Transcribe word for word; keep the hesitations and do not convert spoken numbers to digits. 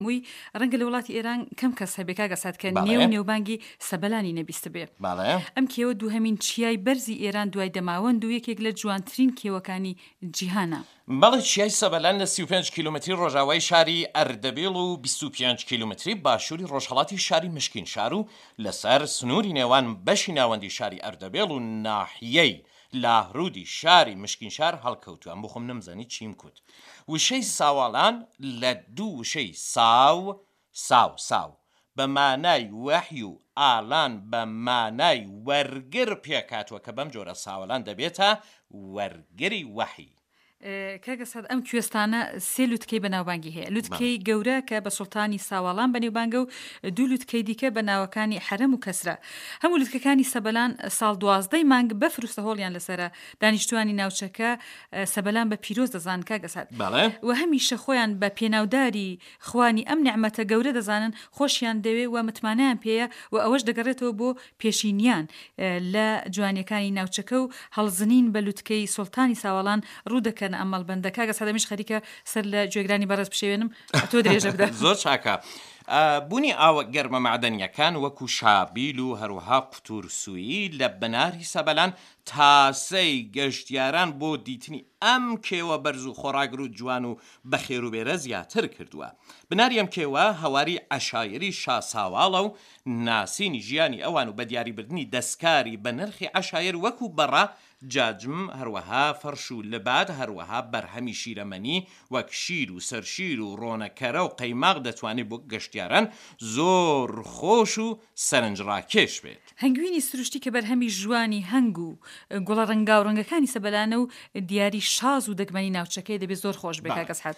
مووی ڕەنگە لە وڵاتی ئێران کەم کەس هەبێ کاک ئەسعەد کە نێو بەڵێ. نێوبانگی سەبەلانی نەبیستبێ. بەڵێ. ئەم کێوە دووهەمین چیای بەرزی ئێران دوای دەماوەند و یەکێک لە جوانترین کێوەکانی جیهانە. بەڵێ چیای سەبەلان لە سی و پێنج کیلۆمەتری ڕۆژاوای شاری ئەردەبیڵ و بیست و پێنج کیلۆمەتری باشووری ڕۆژهەڵاتی شاری مشکینشار و لەسەر سنووری نێوان بەشی ناوەندی شاری ئەردەبێڵ و ناحیەی لاهرودی شاری مشکینشار هەڵکەوتووە. ئەم بۆ خۆم نەمزانی چیم کوت. وشەی ساواڵان لە دوو وشەی ساو، ساو، ساو، بە مانای وەحی و ئالان بە مانای وەرگر پێکهاتووە کە بەم جۆرە ساوەلان دەبێتە وەرگری وەحی. کاک ئەسعەد ئەم کوێستانە سێ لوتکەی بەناوبانگی هەیە، لوتکەی گەورە کە بە سوڵتانی ساواڵان بەنێوبانگە و دوو لوتکەی دیکە بە ناوەکانی حەرەم و کەسرا. هەموو لوتکەکانی سەبەلان ساڵ دوازدەی مانگ بەفر و سەهۆڵیان لەسەرە. دانیشتووانی ناوچەکە سەبەلان بە پیرۆز دەزانن کاک ئەسعەد بەڵێ. و هەمیشە خۆیان بە پێناوداری خوانی ئەم نیعمەتە گەورە دەزانن، خۆشیان دەوێ و متمانەیان پێیە و ئەوەش دەگەڕێتەوە بۆ پێشینیان لە جوانیەکانی ناوچەکە و هەڵزنین بە لوتکەی سوڵتانی ساواڵان ڕوو دەکەنە ئەم مەڵبەندە. کاک ئەسعەد ئەمیش خەریکە سەر لە گوێگرانی بەڕێز بشێوێنم تۆ درێژە بدە. زۆر چاکە. بوونی ئاوە گەرمە مەعدەنییەکان وەکو شابیل و هەروەها قوتورسوویی لە بناری سەبەلان تاسەی گەشتیاران بۆ دیتنی ئەم کێوە بەرز و خۆڕاگر و جوان و بەخێروبێرە زیاتر کردووە. بناری ئەم کێوە هەواری عەشایەری شاساواڵە و ناسینی ژیانی ئەوان و بەدیاریبردنی دەستکاری بەنرخی عەشایەر وەکو بەڕە، جاجم، هەروەها فەرش و لباد، هەروەها بەرهەمی شیرەمەنی وەک شیر و سەرشیر و ڕۆنەکەرە و قەیماغ دەتوانێت بۆ گەشتیاران زۆر خۆش و سەرنجڕاکێش بێت. هەنگوینی سروشتی کە بەرهەمی ژوانی هەنگ و گوڵە ڕەنگاوڕەنگەکانی سەبەلانە و دیاری شاز و دەگمەنی ناوچەکەیە دەبێ زۆر خۆش بێ کاک ئەسحەد.